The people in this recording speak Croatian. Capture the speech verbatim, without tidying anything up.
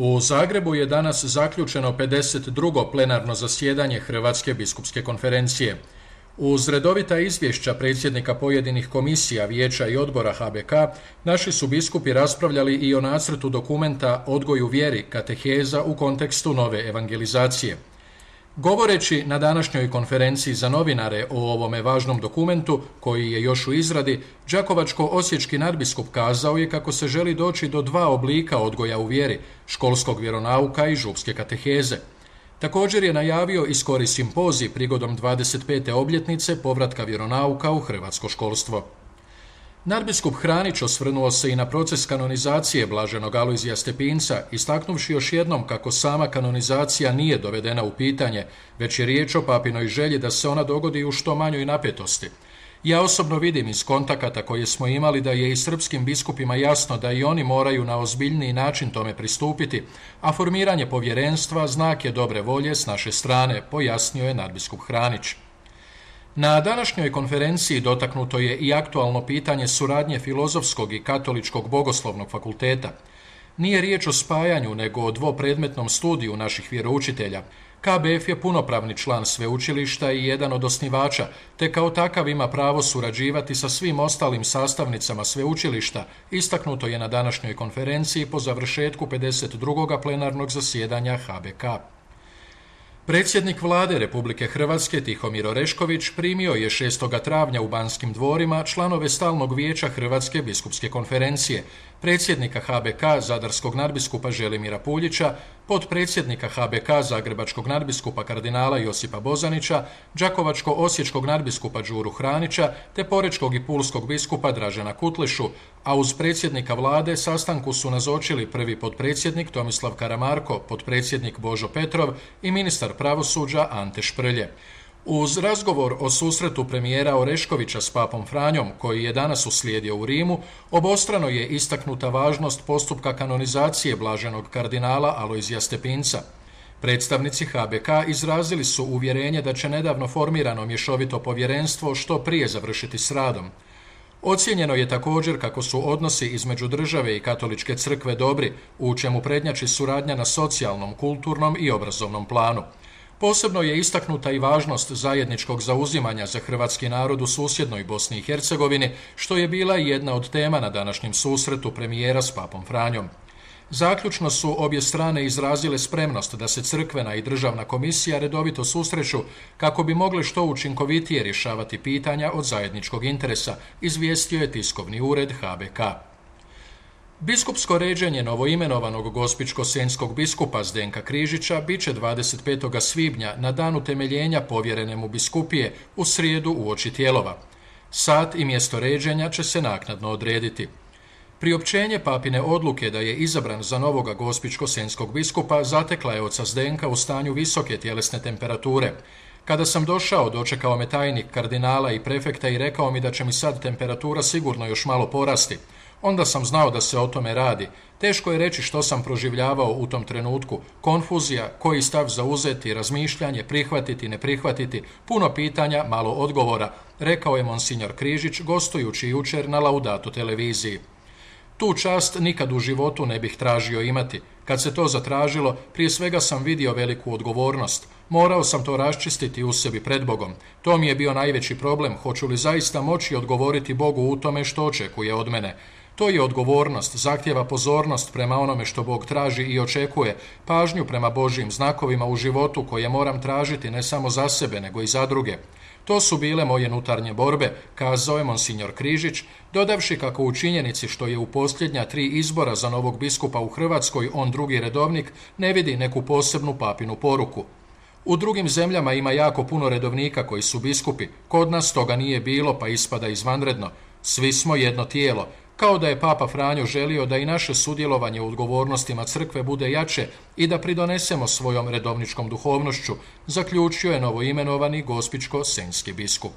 U Zagrebu je danas zaključeno pedeset drugo plenarno zasjedanje Hrvatske biskupske konferencije. Uz redovita izvješća predsjednika pojedinih komisija, vijeća i odbora H B K, naši su biskupi raspravljali i o nacrtu dokumenta Odgoj u vjeri, kateheza u kontekstu nove evangelizacije. Govoreći na današnjoj konferenciji za novinare o ovome važnom dokumentu, koji je još u izradi, đakovačko-osječki nadbiskup kazao je kako se želi doći do dva oblika odgoja u vjeri, školskog vjeronauka i župske kateheze. Također je najavio i skori simpozij prigodom dvadeset pete obljetnice povratka vjeronauka u hrvatsko školstvo. Nadbiskup Hranić osvrnuo se i na proces kanonizacije blaženog Alojzija Stepinca, istaknuvši još jednom kako sama kanonizacija nije dovedena u pitanje, već je riječ o papinoj želji da se ona dogodi u što manjoj napetosti. Ja osobno vidim iz kontakata koje smo imali da je i srpskim biskupima jasno da i oni moraju na ozbiljniji način tome pristupiti, a formiranje povjerenstva znak je dobre volje s naše strane, pojasnio je nadbiskup Hranić. Na današnjoj konferenciji dotaknuto je i aktualno pitanje suradnje Filozofskog i Katoličkog bogoslovnog fakulteta. Nije riječ o spajanju, nego o dvopredmetnom studiju naših vjeroučitelja. K B F je punopravni član sveučilišta i jedan od osnivača, te kao takav ima pravo surađivati sa svim ostalim sastavnicama sveučilišta, istaknuto je na današnjoj konferenciji po završetku pedeset drugog plenarnog zasjedanja H B K. Predsjednik Vlade Republike Hrvatske Tihomir Orešković primio je šestog travnja u Banskim dvorima članove Stalnog vijeća Hrvatske biskupske konferencije, predsjednika H B K zadarskog nadbiskupa Želimira Puljića, potpredsjednika H B K zagrebačkog nadbiskupa kardinala Josipa Bozanića, đakovačko-osječkog nadbiskupa Đuru Hranića te porečkog i pulskog biskupa Dražena Kutlešu, a uz predsjednika Vlade sastanku su nazočili prvi potpredsjednik Tomislav Karamarko, potpredsjednik Božo Petrov i ministar pravosuđa Ante Šprlje. Uz razgovor o susretu premijera Oreškovića s papom Franjom, koji je danas uslijedio u Rimu, obostrano je istaknuta važnost postupka kanonizacije blaženog kardinala Alojzija Stepinca. Predstavnici H B K izrazili su uvjerenje da će nedavno formirano mješovito povjerenstvo što prije završiti s radom. Ocijenjeno je također kako su odnosi između države i katoličke crkve dobri, u čemu prednjači suradnja na socijalnom, kulturnom i obrazovnom planu. Posebno je istaknuta i važnost zajedničkog zauzimanja za hrvatski narod u susjednoj Bosni i Hercegovini, što je bila i jedna od tema na današnjem susretu premijera s papom Franjom. Zaključno su obje strane izrazile spremnost da se crkvena i državna komisija redovito susreću kako bi mogli što učinkovitije rješavati pitanja od zajedničkog interesa, izvijestio je tiskovni ured H B K. Biskupsko ređenje novoimenovanog gospićko-senjskog biskupa Zdenka Križića biće dvadeset petog svibnja na dan utemeljenja povjerene mu biskupije u srijedu uoči Tijelova. Sat i mjesto ređenja će se naknadno odrediti. Priopćenje papine odluke da je izabran za novoga gospićko-senjskog biskupa zatekla je oca Zdenka u stanju visoke tjelesne temperature. Kada sam došao, dočekao me tajnik kardinala i prefekta i rekao mi da će mi sad temperatura sigurno još malo porasti. Onda sam znao da se o tome radi. Teško je reći što sam proživljavao u tom trenutku. Konfuzija, koji stav zauzeti, razmišljanje, prihvatiti, ne prihvatiti, puno pitanja, malo odgovora, rekao je monsignor Križić gostujući jučer na Laudato televiziji. Tu čast nikad u životu ne bih tražio imati. Kad se to zatražilo, prije svega sam vidio veliku odgovornost. Morao sam to raščistiti u sebi pred Bogom. To mi je bio najveći problem, hoću li zaista moći odgovoriti Bogu u tome što očekuje od mene. To je odgovornost, zahtjeva pozornost prema onome što Bog traži i očekuje, pažnju prema Božjim znakovima u životu koje moram tražiti ne samo za sebe, nego i za druge. To su bile moje unutarnje borbe, kazao je monsignor Križić, dodavši kako u činjenici što je u posljednja tri izbora za novog biskupa u Hrvatskoj on drugi redovnik, ne vidi neku posebnu papinu poruku. U drugim zemljama ima jako puno redovnika koji su biskupi, kod nas toga nije bilo pa ispada izvanredno. Svi smo jedno tijelo, kao da je papa Franjo želio da i naše sudjelovanje u odgovornostima crkve bude jače i da pridonesemo svojom redovničkom duhovnošću, zaključio je novoimenovani gospićko-senjski biskup.